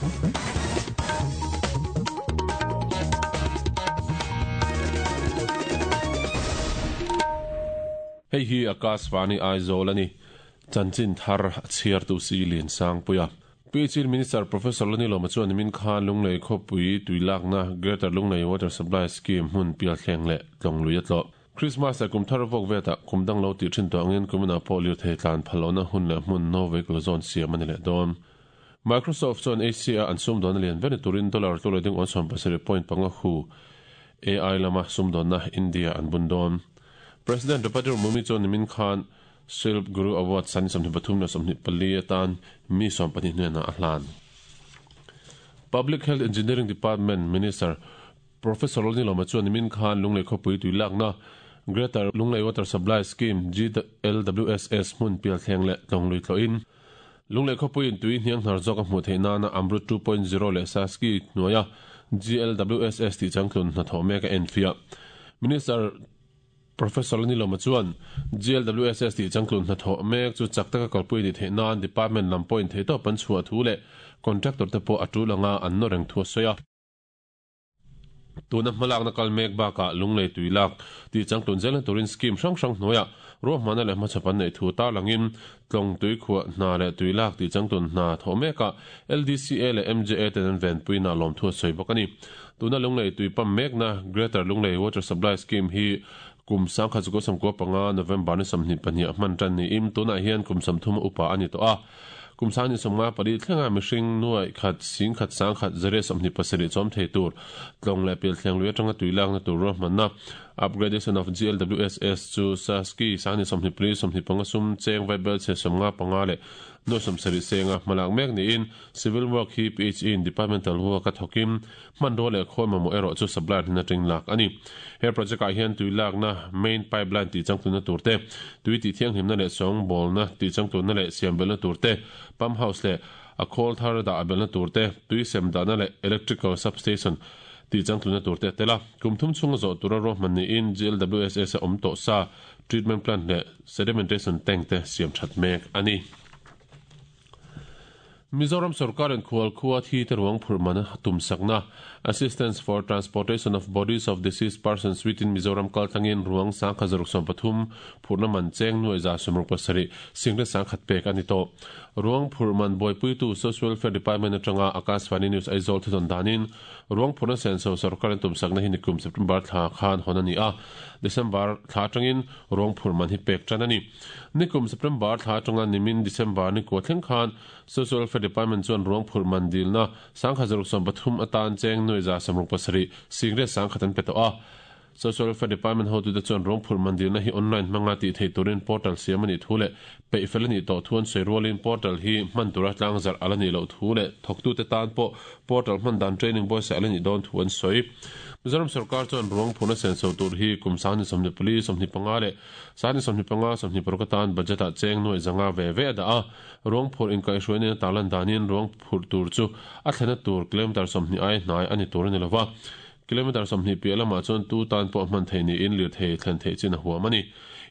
Hei hi Akashvani Aizawl a ni. Chanchin thar a chhiartu si Liansangpuia. PHE Minister Professor Lanilawma chuan nimin khan Lunglei khawpui tui lakna Greater Lunglei Water Supply Scheme hmun pialthleng leh tlawng lui a tlawh. Christmas leh kum thar vawk vetah kum dang lo tih thin tawh angin kuminah pawh lirthei tlan phal lohna hun leh hmun no vehicle zone siam a ni leh dawn. Microsoft chuan Asia-a an sumdawnna lian ber ni turin dollar tlu leh ding awn 17.5 hu AI lama sumdawnna India an bun dawn. President Draupadi Murmu chuan nimin khan Shilp Guru Award sani 23 le 24 atan mi 12 hnenah a hlan. Public Health Engineering Department Minister Professor Lalnilawma chuan nimin khan Lunglei khawpui tui lakna Greater Lunglei Water Supply Scheme, GLWSS, hmun pialthleng leh tlawng lui tlawhin Lunglei khawpuiin tui hniang hnar zawk a hmuh theih nana Amrut 2.0 leh Saski hnuaia GLWSS tih changtlun hnathawh mek a enfiah. Minister Professor Lalnilawma chuan GLWSS tih changtlun hnathawh mek chu chak taka kalpui a nih theih nan department lam pawhin theihtawp an chhuah thu leh contractor te pawh a tul anga an nawr reng thu a sawi a. Tuna hmalakna kal mek bakah Lunglei tui lak tih changtlun zelna turin scheme hrang hrang hnuaiah ruahmanna leh hmachhawp an neih thu tarlangin Tlawng tui khuah hna leh tui lak tih changtlun hna thawh mekah LDCA leh MJA ten an venpuina lawmthu a sawi bawk a ni. Tuna Lunglei tui pump mekna Greater Lunglei Water Supply Scheme hi kum 1995 November ni 22 ah hman tan niin tunah hian kum 30 upa a ni tawh a. Kum 2054 thlenga mihring nuaih khat singkhat sangkhat zariat 27 chawm thei tur tlawng leh pialthleng lui atanga tui lakna tur ruahmanna Upgradation of GLWSS chu Saski 24 25 sum cheng vaibel chhe 55 leh nuaih 70 senga hmalak mek niin Civil Work hi PHE in Departmental work a thawkin Hmanrua leh khawi mamawh erawh chu supplier hnen atangin lak a ni. He project ah hian tui lakna main pipeline tih changtlunna tur te, tui tih thianghlimna leh sawngbawlna tih changtlunna leh siam belhna tur te, pump house leh a khawl thar dah belhna tur te, tui sem dahna leh electrical substation tih changtlunna tur te a tel a. Kum thum chhunga zawh tura ruahman niin GLWSS a awm tawh sa treatment plant leh sedimentation tank te siam that mek a ni. Mizoram sorkarin khual khua thi te ruang phurh man a tumsakna, Assistance for Transportation of Bodies of Deceased Persons within Mizoram kaltlangin ruang 1613 phurhna man cheng 17,7 singlet 10,000 pek a ni tawh. Ruang phurh man buaipuitu Social Welfare Department atanga Akashvani News Aizawl thudawn danin Ruang phurhna senso sorkar an tumsakna hi nikum September thla khan hawn a ni a, December thla atangin ruang phurh man hi pek tan a ni. Nikum September thla atanga nimin December ni kua thleng khan Social Welfare Department chuan ruang phurh man dilna 1613 atan cheng 17,7 singret 10,000 an pe tawh a. Social Welfare Department hotute chuan ruang phurh man dilna hi online hmanga tih theih turin portal siam a nih thu leh peih fel a nih tawh thu an sawi rualin portal hi hman tura tlang zarh a la nih loh thu leh thawktute tan pawh portal hman dan training buaisa a la nih dawn thu an sawi. Mizoram sorkar chuan ruang phurhna senso tur hi kum 2024, 25 leh 2025, 26 atan budget-ah cheng nuaih zanga ve ve a dah a. Ruang phurh inkaihhruai nena tarlan danin ruang phurh tur chu a thlenna tur kilometre 20 ai hnai a ni tur a ni lova. Kilometre 20 piah lamah chuan tu tan pawh hman theih niin lirthei thlen theih chin a huam a ni.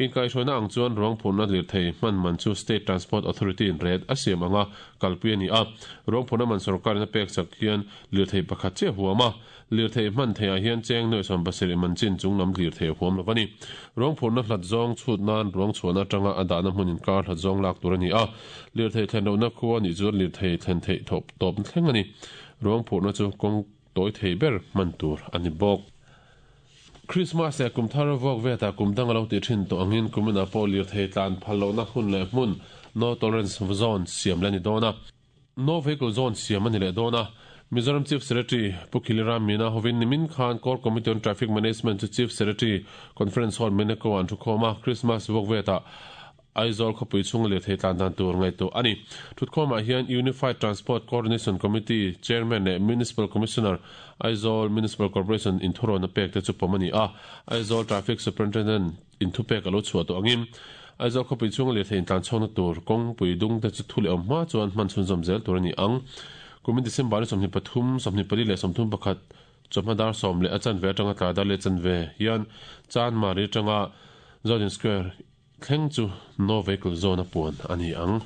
Inkaihhruaina ang chuan ruang phurhna lirthei hman man chu State Transport Authority in ret a siam anga kalpui a ni a. Ruang phurhna man sorkarin a pek chak hian lirthei pakhat chiah a huam a. Lirthei hman theihah hian cheng nuaih 70 man chin chung lam lirthei a huam lo a ni. Ruang phurhna hlat zawng chhut nan ruang chhuahna atanga a dahna hmun inkar hlat zawng lak tur a ni a. Lirthei thlen lohna khua a nih chuan lirthei thlen theih thawp tawpna thleng a ni. Ruang phurhna chu kawng Tawi thei ber hman tur a ni bawk. Krismas leh kum thar vuak vetah kum dang a lo tih thin tawh angin kuminah pawh lirthei tlan phal lohna hun leh hmun No Tolerance Zone siam leh a ni dawn a. No Vehicle Zone siam a ni leh dawn a. Mizoram Chief Secretary Pu Khiliram Meena hovin nimin khan Core Committee on Traffic Management chu Chief Secretary Conference Hall Meneko ah an thukhawm a, Krismas vuak vetah Aizawl khawpui chhunga lirthei tlan dan tur ngaihtuah a ni. Thutkhawmah hian Unified Transport Coordination Committee Chairman leh Municipal Commissioner, Aizawl Municipal Corporation inthurawn a pek te chu pawm a ni a. Aizawl Traffic Superintendent inthupek a lo chhuah tawh angin Aizawl khawpui chhunga lirthei intlan chhawkna tur kawngpui dung te chu thu leh awm hma chuan hman chhunzawm zel tur a ni ang. Kumin December ni 23, 24 leh 31 chawhma dar sawm leh a chanve atanga tlai dar leh chanve hian Chanmari atanga Zodin Square Thleng chu No Vehicle Zone a puan a ni ang.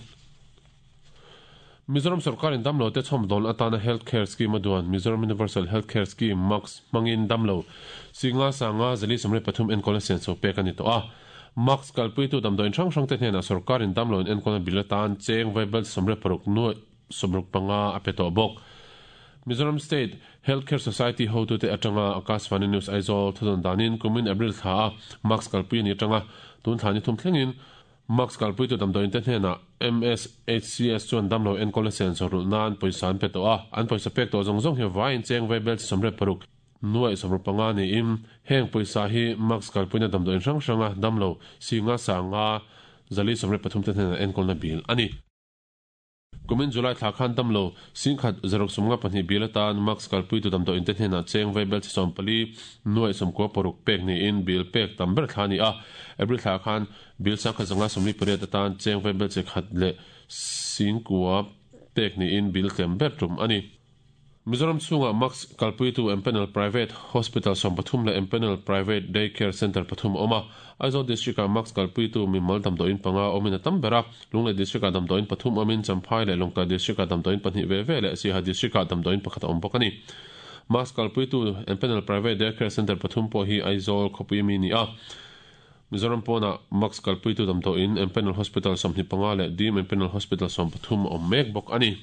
Mizoram sorkarin damlote chhawmdawl atana Health Care Scheme a duan Mizoram Universal Health Care Scheme, MUCS, hmangin damlo singa sanga 433 enkawlna senso pek a ni tawh a. MUCS kalpuitu damdawiin hrang hrangte hnenah sorkarin damloin enkawlna bil atan cheng vaibel 16 nuaih 65 a pe tawh bawk. Mizoram State Health Care Society hotute atanga Akashvani News Aizawl thudawn danin kumin April thla a MUCS kalpui a ni atanga tun thla ni thum thlengin MUCS kalpuitu damdawiin te hnenah MSHCS chuan damlo enkawlna senso rulh nan pawisa an pe tawh a, an pawisa pek tawh zawng zawng hi vaiin cheng vaibel chi 16 nuaih 65 niin heng pawisa hi MUCS kalpuina damdawiin hrang hranga damlo singa sanga 433 te hnenah enkawlna bil a ni. Kumin July thla khan damlo singkhat zaruk 52 bil atan MUCS kalpuitu damdawiin te hnenah cheng vaibel chi 14 nuaih 96 pek niin bil pek tam ber thla a ni a. April thla khan bil 1148 atan cheng vaibel chi khat leh singkua pek niin bil tlem ber tum a ni. Mizoram chhungah MUCS kalpuitu Empanel Private Hospital 13 leh Empanel Private Day Care Centre pathum a awm a. Aizawl District-ah MUCS kalpuitu mimal damdawiin panga awmin a tam ber a. Lunglei District-ah damdawiin pathum awmin Champhai leh Lawngtlai District-ah damdawiin pahnih ve ve leh Siaha District-ah damdawiin pakhat a awm bawk a ni. MUCS kalpuitu Empanel Private Day Care Centre pathum pawh hi Aizawl khawpui mi ni a. Mizoram pawnah MUCS kalpuitu damdawiin Empanel Hospital 25 leh Dim Empanel Hospital 13 a awm mek bawk a ni.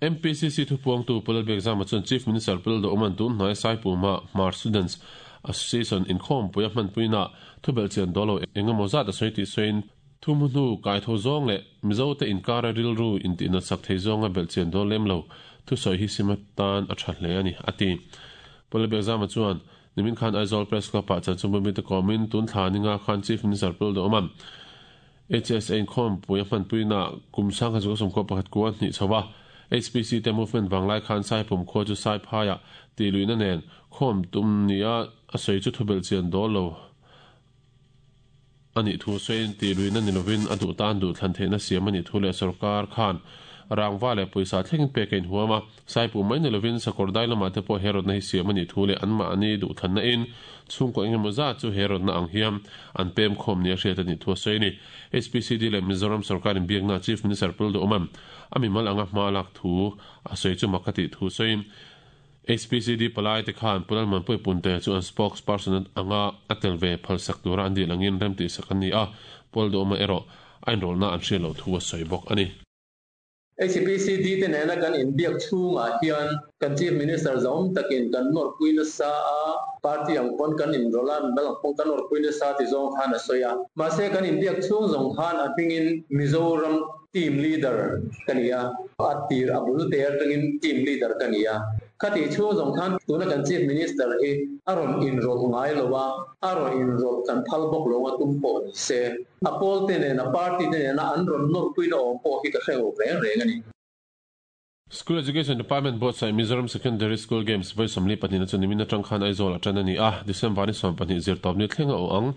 MPCC thupuangtu Pu Lalbiakzama chuan Chief Minister Pu Lalduhawma'n tun hnuaia Saipuma Hmar Students Association inkhawmpui a hmanpuinaah thubelhchian dawl lo eng emaw zat a sawi tih sawiin thu hmu hnu kaitho zawng leh Mizote inkara rilru intihnat sak thei zawnga belhchian dawl lem lo thusawi hi sim atan a tha hle a ni, a ti. Pu Lalbiakzama chuan nimin khan Aizawl Press Club-ah chanchinbu mite kawmin tun thla ninga khan Chief Minister Pu Lalduhawma'n HSA inkhawmpui a hmanpuinaah kum 1991 kua hnih chho a, HPC te movement vanglai khan Saipum khua chu Saiphaiah tih luihna nen khawm tum nia a sawi chu thubelh chian dawl lo a nih thu sawiin tih luihna ni lovin a duh tan duh thlan theihna siam a nih thu leh sorkar khan rangva leh pawisa thlengin pek a inhuam a, Saipum mai ni lovin sakawr dai lamah te pawh he rawtna hi siam a nih thu leh anmahni duhthlanna in chhungkaw engemaw zat chu he rawtna ang hian an pem khawm nia hriat a nih thu a sawi a ni. HPCD leh Mizoram sorkar inbiakna Chief Minister Pu Lalduhawma'n a mimal anga hma lak thu a sawi chu mak a tih thu sawiin HPCD palai te khan Pu Lalmanpuii Punte chu an spokesperson anga a tel ve phalsak tura an dil angin remtihsak an ni a, Pu Lalduhawma erawh a inrawlhna an hriat loh thu a sawi bawk a ni. HPCD te nena kan inbiak chhungah hian kan Chief Minister zahawm takin kan nawrpui nasa a, party ang pawn kan inrawlh a, mimal ang pawn kan nawrpui nasa ti zawng khan a sawi a. Mahse kan inbiak chhung zawng khan a hmingin Mizoram team leader ka ni a, a tir a bul te atangin team leader ka ni a. Khatih chhung zawng khan tuna kan Chief Minister hi a rawn inrawlh ngai lo a, a rawn inrawlh kan phal bawk lo a tum pawh ni se. A pawl te nena party te nena an rawn nawrpuina awm pawh hi ka hre lo reng reng a ni. School Education Department buatsaih Mizoram Secondary School Games vawi 42 na chu nimin atang khan Aizawl ah tan a ni a, December ni 20 zirtawpni thleng a awh ang.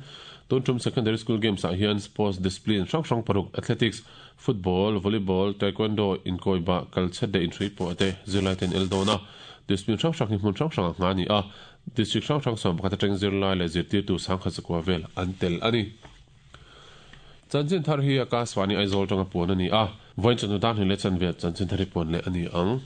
Tun tum Secondary School Games ah hian Sports Discipline hrang hrang paruk, Athletics, Football, Volleyball, Taekwondo, inkawibah, kalchhet leh inhrui pawh te zirlai ten el dawn a. Discipline hrang hrang hi hmun hrang hrangah nghah a ni a, District hrang hrang 11 atangin zirlai leh zirtirtu 10,100 vel an tel a ni. Chanchin thar hi Akashvani Aizawl tanga puan a ni a, vawiin chawhnu dan hnih leh chanve chanchin thar hi puan leh a ni ang.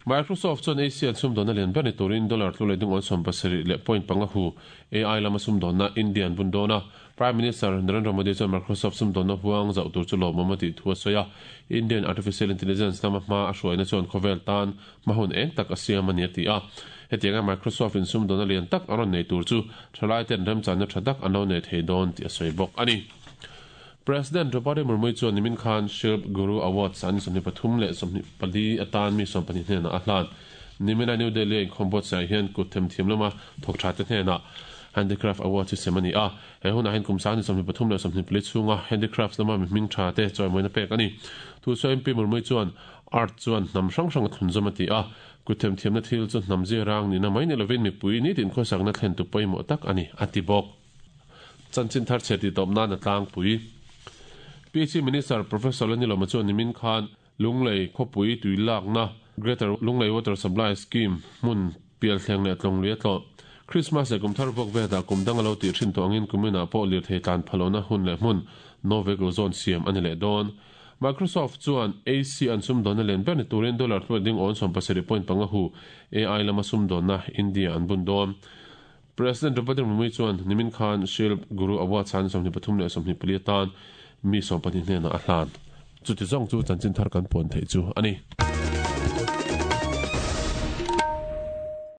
Microsoft chuan Asia sumdawnna lian ber ni turin dollar tlu leh dingawn 70 leh point panga hu AI lama sumdawnna India an bun dawn a. Prime Minister Narendra Modi chuan Microsoft sumdawnna huang zauh tur chu lawmawm a tih thu a sawi a. Indian Artificial Intelligence lama hma a hruaina chuan khawvel tan hma hun eng tak a siam a ni a ti a. Hetianga Microsoft in sumdawnna lian tak a rawn nei tur chu thalai ten remchanna tha tak an lo nei thei dawn tih a sawi bawk a ni. President Draupadi Murmu chuan nimin khan Shilp Guru Awards an 23 leh 24 atan mi 12 hnenah a hlan. Nimina New Delhi a inkhawm buatsaih hian kut themthiam lama thawk tha te hnenah Handicraft Awards hi sem a ni a. He hunah hian kum 23 leh 24 chhunga handicrafts lama mi hming tha te chawimawina pek a ni. Thusawi MP Murmu chuan Art chuan hnam hrang hrang a thlunzawm a ti a, kut themthiamna thil chu hnam zia rang nihna mai ni lovin mipui nitin khawsakna thlentu pawimawh tak a ni, a ti bawk. Chanchin thar chhe tih tawp nan a tlangpui. PHE Minister Professor Lanilawma chuan nimin khan Lunglei khawpui tui lakna Greater Lunglei Water Supply Scheme hmun pialthleng leh tlawnglui a tlawh. Christmas leh kumthar vuak velah kum dang a lo tih thin tawh angin kuminah pawh lirthei tlan phalohna hun leh hmun No Vehicle Zone siam a ni leh dawn. Microsoft chuan AC an sumdawnna lian ber ni turin dollar hluat ding awn 17.5 hu AI lama sumdawnna India an bun dawn. President Draupadi Murmu chuan nimin khan Shilp Guru Award san 23 leh 24 atan mi 12 hnenah a hlan. Chuti zawng chu chanchin thar kan puan theih chu a ni.